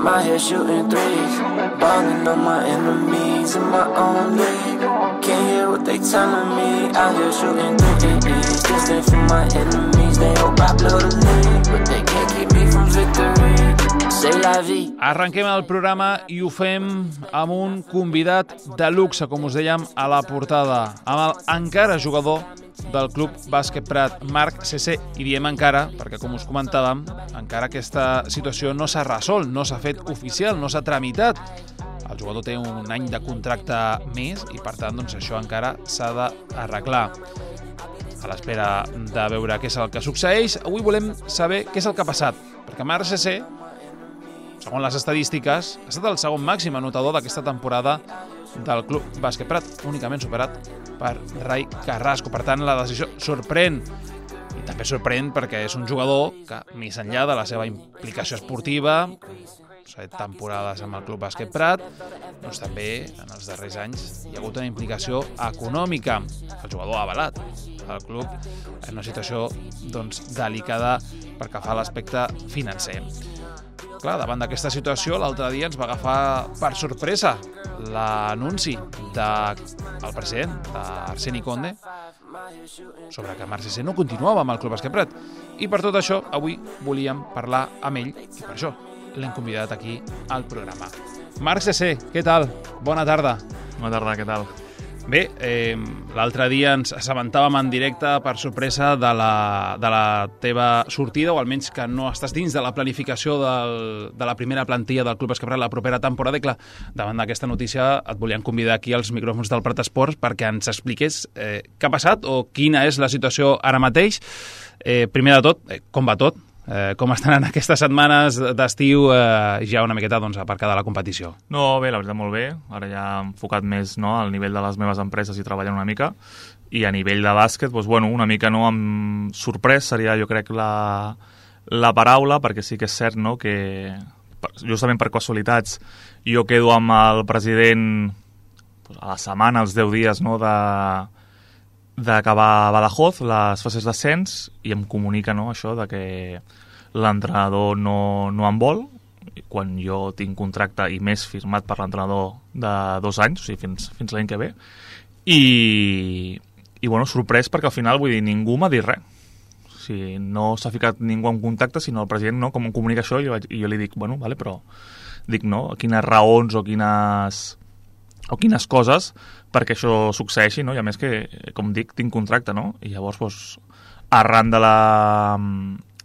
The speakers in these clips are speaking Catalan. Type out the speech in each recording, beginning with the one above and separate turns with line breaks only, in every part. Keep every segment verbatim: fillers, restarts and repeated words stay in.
my head shooting threes, balling on my enemies in my own league. Can't hear what they telling me, out here shooting threes. Distant from my enemies, they hope I blow the lead, but they can't keep me from victory. Say la vie.
Arrenquem el programa i ho fem amb un convidat de luxe, com us dèiem a la portada, amb el encara jugador del Club Bàsquet Prat, Marc Cesser. I diem encara perquè, com us comentàvem, encara aquesta situació no s'ha resolt, no s'ha fet oficial, no s'ha tramitat. El jugador té un any de contracte més i, per tant, doncs, això encara s'ha d'arreglar. A l'espera de veure què és el que succeeix, avui volem saber què és el que ha passat, perquè Marc Cesser, segons les estadístiques, ha estat el segon màxim anotador d'aquesta temporada del Club Bàsquet Prat, únicament superat per Rai Carrasco. Per tant, la decisió sorprèn, i també sorprèn perquè és un jugador que, més enllà de la seva implicació esportiva, set temporades amb el Club Bàsquet Prat, doncs també en els darrers anys hi ha hagut una implicació econòmica. El jugador ha avalat el club en una situació doncs, delicada pel que fa a l'aspecte financer. Clar, davant d'aquesta situació, l'altre dia ens va agafar per sorpresa l'anunci del president, d'Arseni Conde, sobre que Marc Cesser no continuava amb el Club Bàsquet Prat. I per tot això, avui volíem parlar amb ell, i per això l'hem convidat aquí al programa. Marc Cesser, què tal? Bona tarda.
Bona tarda, què tal?
Bé, eh, l'altre dia ens assabentàvem en directe per sorpresa de la, de la teva sortida, o almenys que no estàs dins de la planificació del, de la primera plantilla del Club Bàsquet Prat la propera temporada. I clar, davant d'aquesta notícia et volíem convidar aquí als micròfons del Prat Esports perquè ens expliqués eh, què ha passat o quina és la situació ara mateix. Eh, primer de tot, eh, com va tot? Eh, com estan en aquestes setmanes d'estiu eh, ja una miqueta doncs, aparcada la competició?
No, bé, la veritat molt bé. Ara ja he enfocat més no, al nivell de les meves empreses i treballant una mica. I a nivell de bàsquet, doncs, bueno, una mica no amb sorprès seria jo crec la, la paraula, perquè sí que és cert no, que justament per casualitats jo quedo amb el president doncs, a la setmana, als deu dies no, de d'acabar a Badajoz, les fases d'ascens, i em comunica no, això de que l'entrenador no, no en vol, quan jo tinc contracte i més firmat per l'entrenador de dos anys, o sigui, fins, fins l'any que ve. I, i bueno, sorprès perquè al final, vull dir, ningú m'ha dit res. O sigui, no s'ha ficat ningú en contacte, sinó el president, no, com em comunica això, i jo, i jo li dic, bueno, vale, però dic, no, quines raons o quines o quines coses perquè això succeeixi, no? I a més que, com dic, tinc contracte, no? I llavors, doncs, arran de la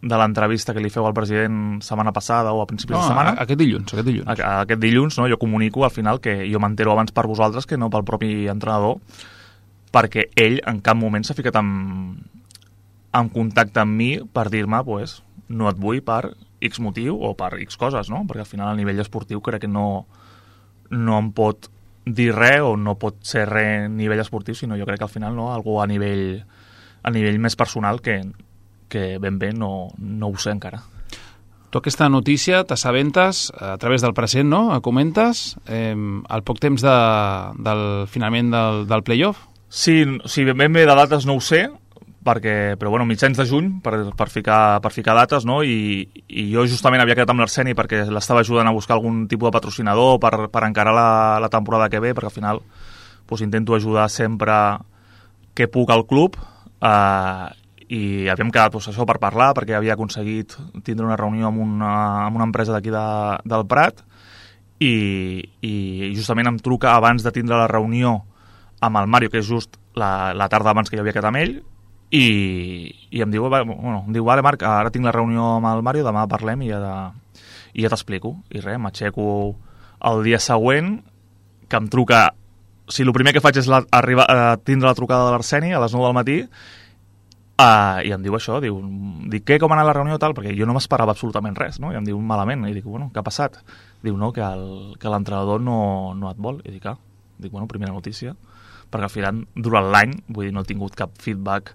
de l'entrevista que li feu al president setmana passada o a principis no, de setmana...
aquest dilluns, aquest dilluns.
Aquest dilluns, no? Jo comunico al final que jo m'entero abans per vosaltres que no pel propi entrenador, perquè ell en cap moment s'ha ficat en, en contacte amb mi per dir-me, pues, no et vull per X motiu o per X coses, no? Perquè al final a nivell esportiu crec que no, no em pot dir res o no pot ser res a nivell esportiu, sinó jo crec que al final no, algú a nivell, a nivell més personal que, que ben bé no, no ho sé encara.
Tu aquesta notícia t'assabentes a través del present, no? Comentes eh, al poc temps de, del finalment del, del playoff?
Sí, sí, ben bé de dates no ho sé, perquè, però bueno, mitjans de juny per, per, ficar, per ficar dates, no? I, i jo justament havia quedat amb l'Arseni perquè l'estava ajudant a buscar algun tipus de patrocinador per, per encarar la, la temporada que ve, perquè al final pues, intento ajudar sempre que puc al club, eh, i havíem quedat pues, això per parlar, perquè havia aconseguit tindre una reunió amb una, amb una empresa d'aquí de, del Prat, i, i justament em truca abans de tindre la reunió amb el Mario, que és just la, la tarda abans que jo havia quedat amb ell, I, i em diu, bueno, em diu, vale Marc, ara tinc la reunió amb el Mario, demà parlem i ja, de, i ja t'explico. I res, m'aixeco el dia següent, que em truca, o sigui, el primer que faig és la, arribar a tindre la trucada de l'Arseni a les nou del matí, uh, i em diu això, diu, dic, què, com ha anat la reunió tal? Perquè jo no m'esperava absolutament res, no? I em diu, malament, i dic, bueno, què ha passat? Diu, no, que el, que l'entrenador no, no et vol. I dic, ah, dic, bueno, primera notícia, perquè al final, durant l'any, vull dir, no he tingut cap feedback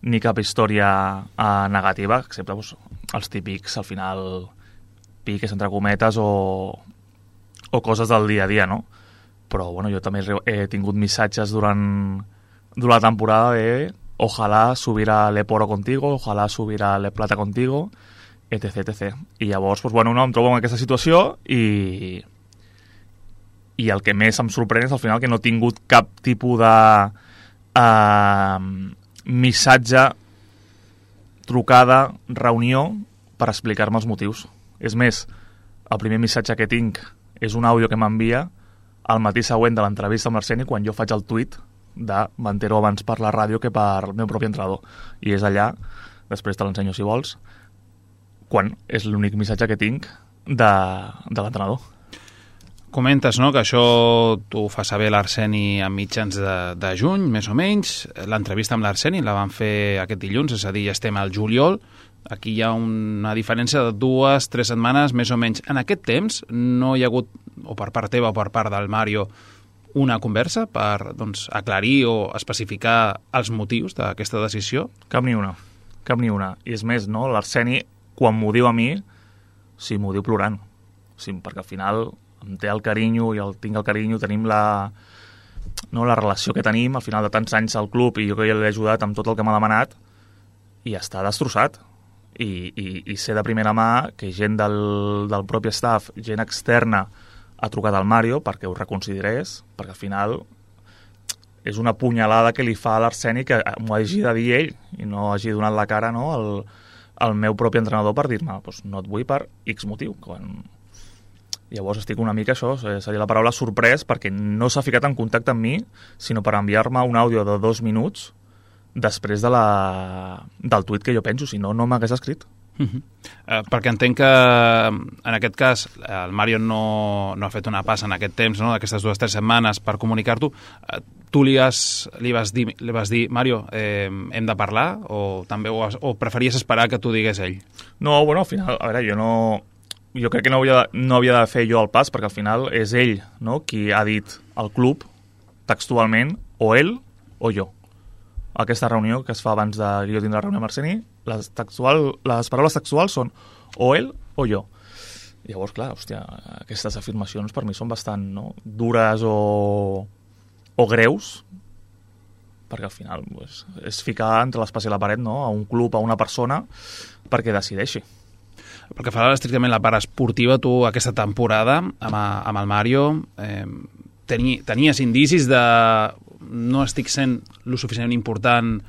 ni cap història eh, negativa, excepte doncs, els típics, al final, piques, entre cometes, o, o coses del dia a dia, no? Però, bueno, jo també he tingut missatges durant, durant la temporada de ojalá subiera Le Poro contigo, ojalá subiera Le Plata contigo, etc, etcètera. I llavors, doncs, bueno, no, em trobo en aquesta situació i, i el que més em sorprèn és al final que no he tingut cap tipus de uh, missatge, trucada, reunió per explicar-me els motius. És més, el primer missatge que tinc és un àudio que m'envia el matí següent de l'entrevista amb l'Arseni quan jo faig el tuit de m'entero abans per la ràdio que per el meu propi entrenador. I és allà, després te l'ensenyo si vols, quan és l'únic missatge que tinc de, de l'entrenador.
Comentes, no?, que això t'ho fa saber l'Arseni a mitjans de, de juny, més o menys. L'entrevista amb l'Arseni la van fer aquest dilluns, és a dir, ja estem al juliol. Aquí hi ha una diferència de dues, tres setmanes, més o menys. En aquest temps no hi ha hagut, o per part teva o per part del Mario, una conversa per, doncs, aclarir o especificar els motius d'aquesta decisió?
Cap ni una, cap ni una. I és més, no?, l'Arseni, quan m'ho diu a mi, sí, m'ho diu plorant. Sí, perquè al final em té el carinyo i el tinc el carinyo, tenim la, no, la relació que tenim, al final de tants anys al club, i jo que ja l'he ajudat amb tot el que m'ha demanat, i està destrossat. I, i, i sé de primera mà que gent del, del propi staff, gent externa, ha trucat al Mario perquè ho reconsiderés, perquè al final és una punyalada que li fa a l'Arseni que m'ho hagi de dir ell i no hagi donat la cara, no, al, al meu propi entrenador per dir-me pues, no et vull per X motiu. Quan... Llavors estic una mica, això seria la paraula, sorprès, perquè no s'ha ficat en contacte amb mi, sinó per enviar-me un àudio de dos minuts després de la, del tuit que jo penso, si no, no m'hagués escrit.
Uh -huh. eh, perquè entenc que en aquest cas el Mario no, no ha fet una passa en aquest temps, no?, d'aquestes dues o tres setmanes per comunicar-t'ho. Eh, tu li, has, li, vas dir, li vas dir, Mario, eh, hem de parlar, o també o, o preferies esperar que t'ho digués ell?
No, bueno, al final, a veure, jo no... Jo crec que no havia, de, no havia de fer jo el pas, perquè al final és ell, no?, qui ha dit al club textualment, o ell o jo. Aquesta reunió que es fa abans de que jo tindrà la reunió amb Arseni, les, textual, les paraules textuals són o ell o jo. Llavors, clar, hòstia, aquestes afirmacions per mi són bastant, no?, dures o, o greus, perquè al final pues, és ficar entre l'espasa i la paret, no?, a un club, a una persona, perquè decideixi.
Perquè fa estrictament la part esportiva, tu aquesta temporada amb, amb el Mario eh, teni, tenies indicis de no estic sent lo suficientment important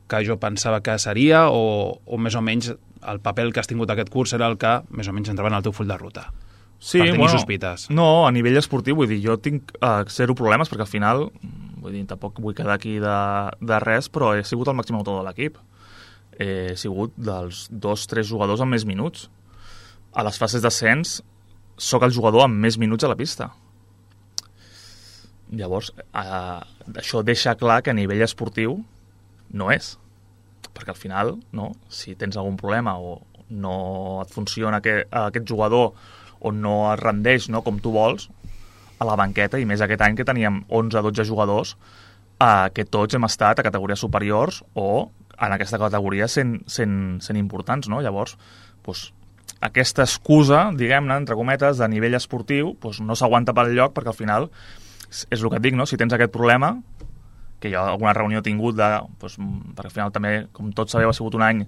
que jo pensava que seria, o, o més o menys el paper que has tingut aquest curs era el que més o menys entrava en el teu full de ruta?
Sí,
per tenir
bueno,
sospites.
No, a nivell esportiu, vull dir, jo tinc uh, zero problemes, perquè al final, vull dir, tampoc vull quedar aquí de, de res, però he sigut el màxim autor de l'equip. He sigut dels dos, tres jugadors amb més minuts. A les fases d'ascens sóc el jugador amb més minuts a la pista. Llavors, eh, això deixa clar que a nivell esportiu no és. Perquè al final, no, si tens algun problema o no et funciona aquest, aquest jugador o no es rendeix, no, com tu vols, a la banqueta, i més aquest any que teníem onze dotze jugadors, eh, que tots hem estat a categories superiors o en aquesta categoria sent, sent, sent importants, no? Llavors, doncs, aquesta excusa, diguem-ne, entre cometes, de nivell esportiu, doncs no s'aguanta pel lloc, perquè al final és el que et dic, no? Si tens aquest problema, que jo alguna reunió he tingut, de, doncs, perquè al final també, com tots sabeu, ha sigut un any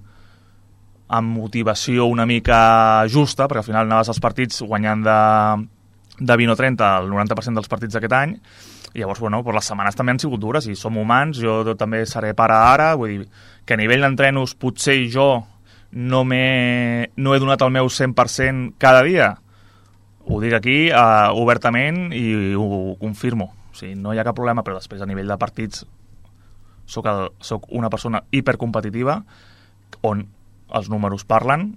amb motivació una mica justa, perquè al final anaves als partits guanyant de, de vint o trenta el noranta per cent dels partits d'aquest any, i llavors, bueno, pues les setmanes també han sigut dures, i som humans, jo també seré pare ara, vull dir, que a nivell d'entrenos potser jo no, no he donat el meu cent per cent cada dia, ho dic aquí uh, obertament i ho, ho confirmo. O sigui, no hi ha cap problema, però després a nivell de partits soc, el, soc una persona hipercompetitiva on els números parlen,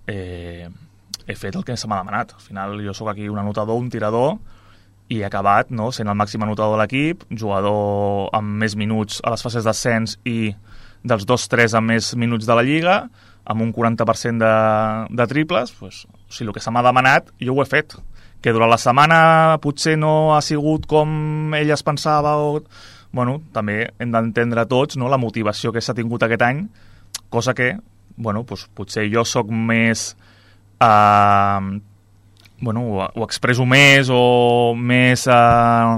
eh, he fet el que se m'ha demanat. Al final jo sóc aquí un anotador, un tirador, i he acabat, no, sent el màxim anotador de l'equip, jugador amb més minuts a les fases d'ascens i dels dos tres amb més minuts de la Lliga, amb un quaranta per cent de, de triples, pues, o sigui, el que se m'ha demanat jo ho he fet. Que durant la setmana potser no ha sigut com ell es pensava, o... bueno, també hem d'entendre tots, no, la motivació que s'ha tingut aquest any, cosa que, bueno, pues, potser jo sóc més... Eh, bueno, ho, ho expresso més o més... Eh,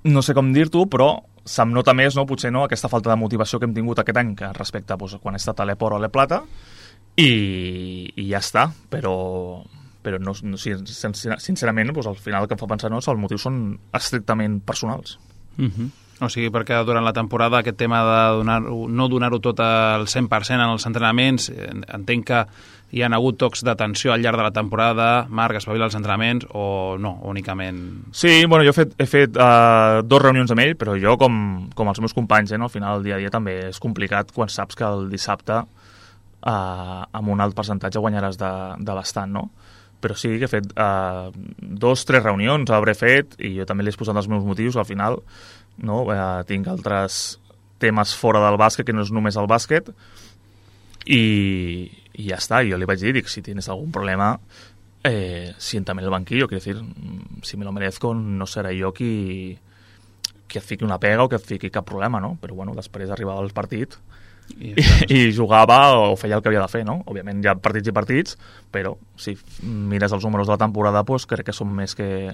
no sé com dir-t'ho, però se'm nota més, no, potser no, aquesta falta de motivació que hem tingut aquest any que respecte pues, quan he estat a l'Epor o a l'Eplata, i, i ja està, però, però no, no, sincerament doncs, al final el que em fa pensar no, els motius són estrictament personals.
Uh-huh. O sigui, perquè durant la temporada aquest tema de donar, no donar-ho tot al cent per cent en els entrenaments, entenc que hi ha hagut tocs d'atenció al llarg de la temporada, Marc, espavila els entrenaments, o no, únicament...
Sí, bueno, jo he fet, he fet uh, dos reunions amb ell, però jo, com, com els meus companys, eh, no, al final el dia a dia també és complicat quan saps que el dissabte uh, amb un alt percentatge guanyaràs de, de bastant, no? Però sí que he fet uh, dos, tres reunions, hauré fet, i jo també li he posat els meus motius, al final, no? Uh, tinc altres temes fora del bàsquet, que no és només el bàsquet, i, i ja està, jo li vaig dir, dic, si tienes algún problema, eh, siéntame en el banquillo, quiero decir, si me lo merezco, no serà jo qui, qui et fiqui una pega o que et fiqui cap problema, no? Però bueno, després arribava el partit i, i jugava o feia el que havia de fer, no? Òbviament hi ha partits i partits, però si mires els números de la temporada, doncs crec que són més que,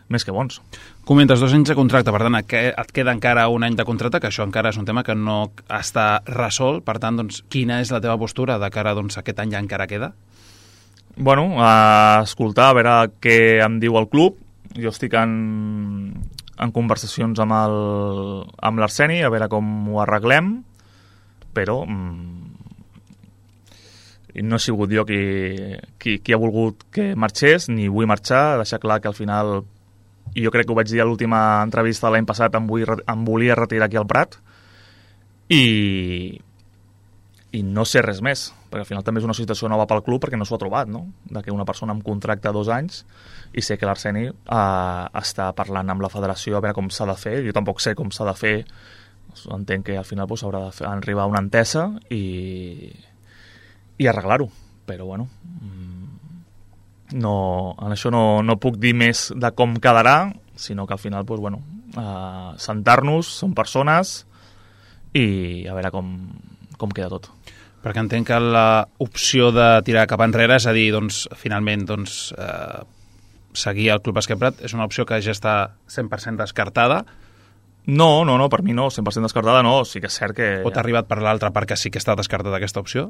més que bons.
Comentes dos anys de contracte, per tant, et queda encara un any de contracte, que això encara és un tema que no està resolt, per tant, doncs, quina és la teva postura de cara doncs, a aquest any ja encara queda?
Bueno, a escoltar, a veure què em diu el club. Jo estic en, en conversacions amb el, amb l'Arseni, a veure com ho arreglem, però mm, no he sigut jo qui, qui, qui ha volgut que marxés, ni vull marxar, deixar clar que al final, i jo crec que ho vaig dir a l'última entrevista l'any passat, em, vull, em volia retirar aquí al Prat, i, i no sé res més, perquè al final també és una situació nova pel club, perquè no s'ho ha trobat, no? De que una persona amb contracte dos anys, i sé que l'Arseni eh, està parlant amb la federació a veure com s'ha de fer, jo tampoc sé com s'ha de fer, entenc que al final pues, haurà d'arribar a una entesa i, i arreglar-ho, però bueno, no, en això no, no puc dir més de com quedarà, sinó que al final pues, bueno, uh, sentar-nos, som persones, i a veure com, com queda tot.
Perquè entenc que l'opció de tirar cap enrere, és a dir, doncs, finalment doncs, eh, seguir el Club Bàsquet Prat, és una opció que ja està cent per cent descartada.
No, no, no, per mi no, cent per cent descartada no, sí que és cert que...
O t'ha arribat per l'altra part que sí que està descartada aquesta opció?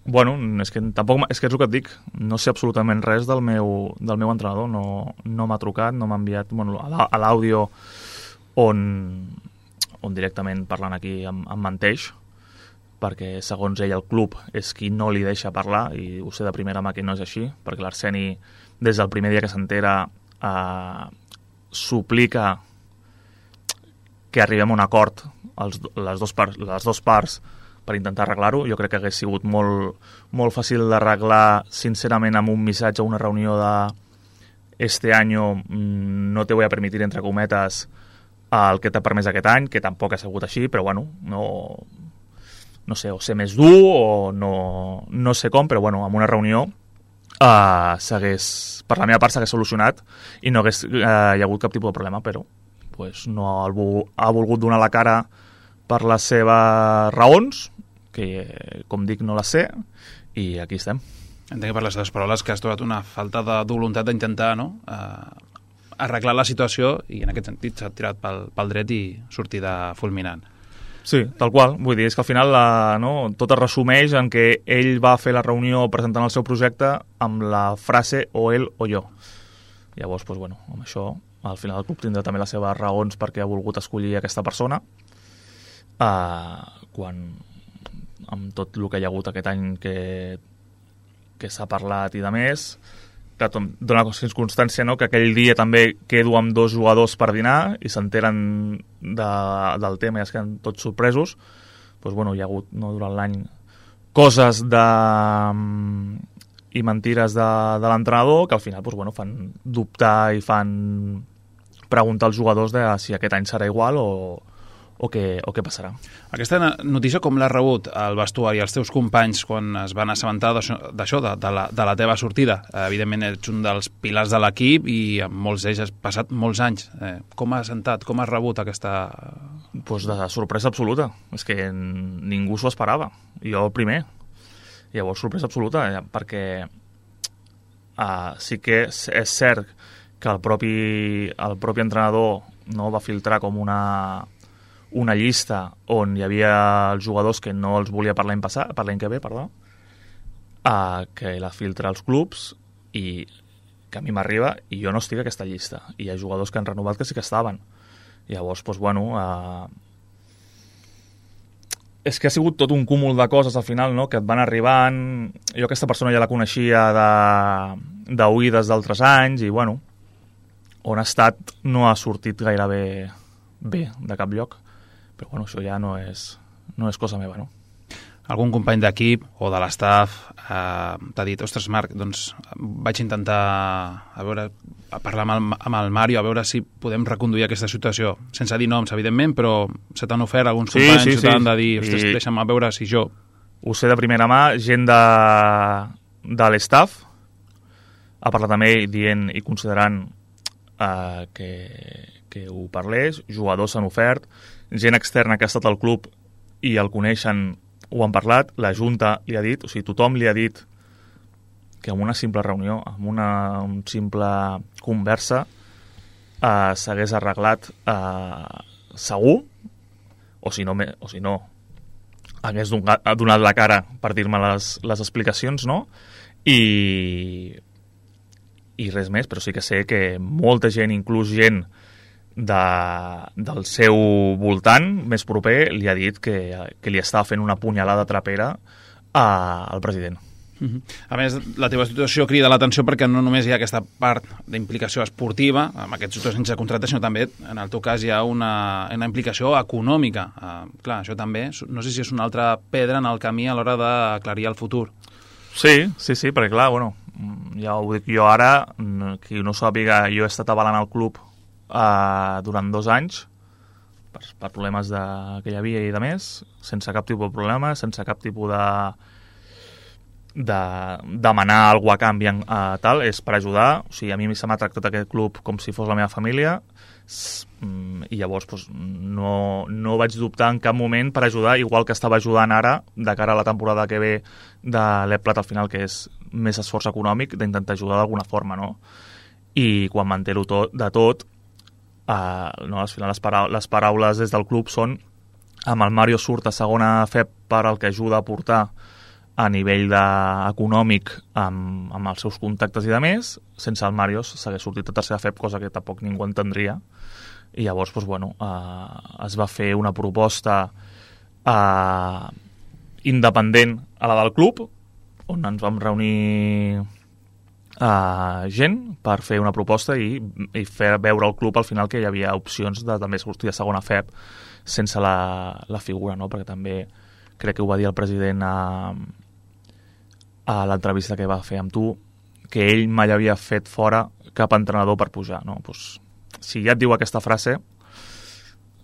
Bueno, és que tampoc, és que és el que et dic, no sé absolutament res del meu, del meu entrenador, no, no m'ha trucat, no m'ha enviat bueno, a l'àudio on, on directament parlant aquí em, em menteix, perquè segons ell el club és qui no li deixa parlar, i ho sé de primera mà que no és així, perquè l'Arseni des del primer dia que s'entera eh, suplica que arribem a un acord els, les, dos parts, les dos parts per intentar arreglar-ho. Jo crec que hagués sigut molt, molt fàcil d'arreglar sincerament amb un missatge o una reunió de este año no te voy a permitir, entre cometes, el que t'ha permès aquest any, que tampoc ha sigut així, però bueno, no, no sé, o ser més dur o no, no sé com, però bueno, amb una reunió uh, s'hagués, per la meva part s'hagués solucionat i no hagués uh, hi ha hagut cap tipus de problema, però pues, no ha, ha volgut donar la cara per les seves raons, que com dic no les sé, i aquí estem.
Entenc que per les teves paraules que has trobat una falta de voluntat d'intentar no? uh, arreglar la situació, i en aquest sentit s'ha tirat pel, pel dret i sortida fulminant.
Sí, tal qual. Vull dir, és que al final la, no, tot es resumeix en que ell va fer la reunió presentant el seu projecte amb la frase o ell o jo. Llavors, doncs, bueno, amb això, al final el club tindrà també les seves raons perquè ha volgut escollir aquesta persona, uh, quan amb tot el que hi ha hagut aquest any que, que s'ha parlat i de més, que dona circumstància no, que aquell dia també quedo amb dos jugadors per dinar i s'enteren de, del tema i es queden tots sorpresos. Doncs, bueno, hi ha hagut no, durant l'any coses de, i mentires de, de l'entrenador que al final doncs, bueno, fan dubtar i fan preguntar als jugadors de si aquest any serà igual o, o, què, o què passarà.
Aquesta notícia com l'has rebut al vestuari, els teus companys, quan es van assabentar d'això, de, de, la, de la teva sortida? Evidentment ets un dels pilars de l'equip i amb molts d'ells has passat molts anys. Eh, com has sentat, com has rebut aquesta...
Pues de sorpresa absoluta. És que ningú s'ho esperava. Jo el primer. Llavors, sorpresa absoluta, eh, perquè uh, sí que és, és cert que el propi, el propi entrenador no va filtrar com una, una llista on hi havia els jugadors que no els volia per l'any passat, per l'any que ve, perdó, uh, que la filtra als clubs i que a mi m'arriba i jo no estic a aquesta llista. I hi ha jugadors que han renovat que sí que estaven. Llavors, doncs, bueno... Uh, és que ha sigut tot un cúmul de coses al final, no?, que et van arribant. Jo aquesta persona ja la coneixia d'oïdes d'altres anys i, bueno, on ha estat no ha sortit gairebé bé de cap lloc. Però, bueno, això ja no és, no és cosa meva, no?
Algun company d'equip o de l'estaf eh, t'ha dit, ostres, Marc, doncs vaig intentar a veure, a parlar amb el, amb el Mario, a veure si podem reconduir aquesta situació, sense dir noms, evidentment, però se t'han ofert alguns
sí,
companys,
sí,
se t'han
sí.
de dir, ostres,
I...
deixa'm a veure si jo...
Ho sé de primera mà, gent de, de l'estaf ha parlat amb ell dient i considerant eh, que, que ho parlés, jugadors s'han ofert, gent externa que ha estat al club i el coneixen, ho han parlat, la Junta li ha dit, o sigui, tothom li ha dit que amb una simple reunió, amb una un simple conversa eh, s'hagués arreglat eh, segur, o si no, o si no hagués donat, donat la cara per dir-me les, les explicacions, no? I, i res més, però sí que sé que molta gent, inclús gent de, del seu voltant més proper, li ha dit que, que li estava fent una punyalada trapera a, al president.
Uh-huh. A més, la teva situació crida l'atenció perquè no només hi ha aquesta part d'implicació esportiva, amb aquests dos anys de contracte, sinó també, en el teu cas, hi ha una, una implicació econòmica. Uh, clar, això també, no sé si és una altra pedra en el camí a l'hora d'aclarir el futur.
Sí, sí, sí, perquè clar, bueno, ja ho dic jo ara, qui no sàpiga, jo he estat avalant el club uh, durant dos anys per, per problemes de, que hi havia i de més, sense cap tipus de problema, sense cap tipus de, de demanar alguna a canvi en, uh, tal, és per ajudar. O sigui, a mi se m'ha tractat aquest club com si fos la meva família i llavors doncs, no, no vaig dubtar en cap moment per ajudar, igual que estava ajudant ara de cara a la temporada que ve de l'E P L A T al final, que és més esforç econòmic, d'intentar ajudar d'alguna forma, no? I quan m'entero tot, de tot, eh, no, al final les, parau les paraules des del club són amb el Mario surt a segona F E P per el que ajuda a portar a nivell de, econòmic amb, amb els seus contactes i de més, sense el Mario s'hagués sortit a tercera F E P, cosa que tampoc ningú entendria. I llavors, doncs, bueno, eh, es va fer una proposta eh, independent a la del club, on ens vam reunir eh, gent per fer una proposta i, i fer veure al club al final que hi havia opcions de també sortir a segona F E P sense la, la figura, no? Perquè també crec que ho va dir el president a, a l'entrevista que va fer amb tu, que ell mai havia fet fora cap entrenador per pujar, no? Pues, si ja et diu aquesta frase,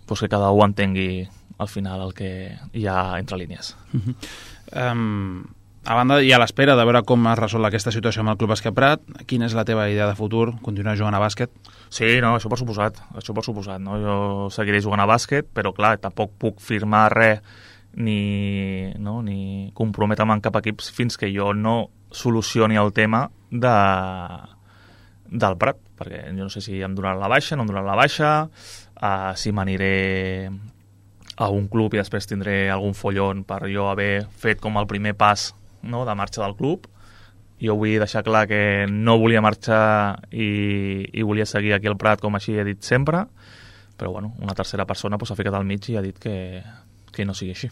pues que cada un entengui al final el que hi ha entre línies.
Uh-huh. um, a banda, i a l'espera de veure com es resol aquesta situació amb el Club Bàsquet Prat, quina és la teva idea de futur? Continuar jugant a bàsquet?
Sí, no, això per suposat, això per suposat, no? Jo seguiré jugant a bàsquet, però clar, tampoc puc firmar res ni, no, ni comprometre'm en cap equip fins que jo no solucioni el tema de, del Prat, perquè jo no sé si em donaran la baixa, no em donaran la baixa, uh, si m'aniré a un club i després tindré algun follon per jo haver fet com el primer pas, no, de marxa del club. Jo vull deixar clar que no volia marxar i, i volia seguir aquí al Prat, com així he dit sempre, però bueno, una tercera persona pues, s'ha ficat al mig i ha dit que, que no sigui així.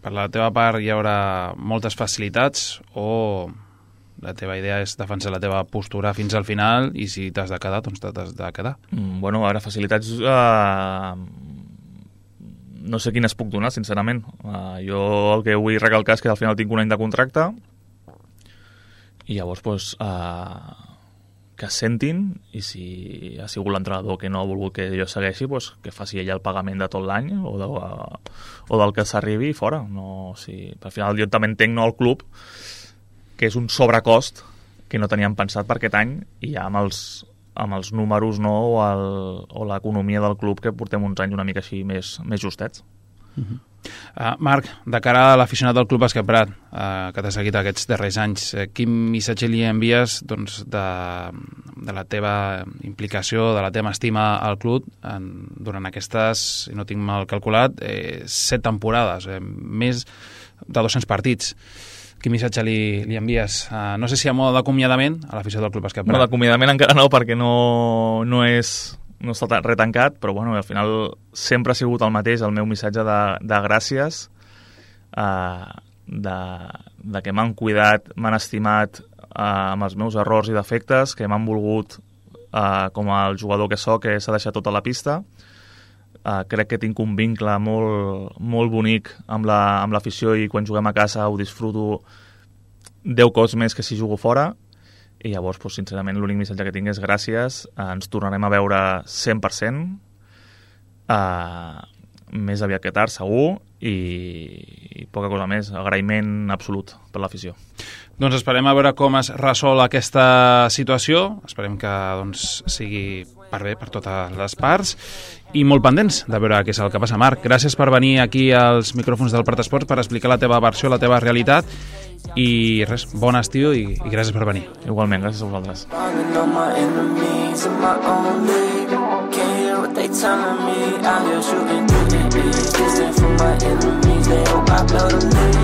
Per la teva part hi haurà moltes facilitats o la teva idea és defensar la teva postura fins al final i si t'has de quedar, doncs t'has de quedar?
Mm, bueno, a veure, facilitats... Uh, no sé quines puc donar, sincerament. Uh, jo el que vull recalcar és que al final tinc un any de contracte i llavors, pues, uh, que es sentin i si ha sigut l'entrenador que no ha volgut que jo segueixi, pues, que faci ella el pagament de tot l'any o, de, o del que s'arribi fora. No, si, al final jo també entenc, no, el club, que és un sobrecost que no teníem pensat per aquest any i ja amb els, amb els números, no, o, el, o l'economia del club que portem uns anys una mica així més, més justets.
Uh-huh. uh, Marc, de cara a l'aficionat del Club Bàsquet Prat, uh, que t'ha seguit aquests darrers anys, uh, quin missatge li envies, doncs, de, de la teva implicació, de la teva estima al club en, durant aquestes, si no tinc mal calculat, eh, set temporades, eh, més de dos-cents partits? quin missatge li, li envies? Uh, no sé si a mode d'acomiadament a l'afició del Club Bàsquet Prat.
No, d'acomiadament encara no, perquè no, no és no està retancat, però bueno, al final sempre ha sigut el mateix, el meu missatge de, de gràcies, uh, de, de que m'han cuidat, m'han estimat uh, amb els meus errors i defectes, que m'han volgut uh, com el jugador que soc, que s'ha deixat tota la pista. Uh, crec que tinc un vincle molt, molt bonic amb la, amb l'afició i quan juguem a casa ho disfruto deu cops més que si jugo fora, i llavors, doncs, sincerament, l'únic missatge que tinc és gràcies, uh, ens tornarem a veure cent per cent, uh, més aviat que tard, segur, i, i poca cosa més, agraïment absolut per l'afició.
Doncs esperem a veure com es resol aquesta situació, esperem que doncs, sigui per bé per totes les parts, i molt pendents de veure què és el que passa. Marc, gràcies per venir aquí als micròfons del Prat Esports per explicar la teva versió, la teva realitat, i res, bon estiu i, i gràcies per venir.
Igualment, gràcies a vosaltres.
They hope I blow the lead.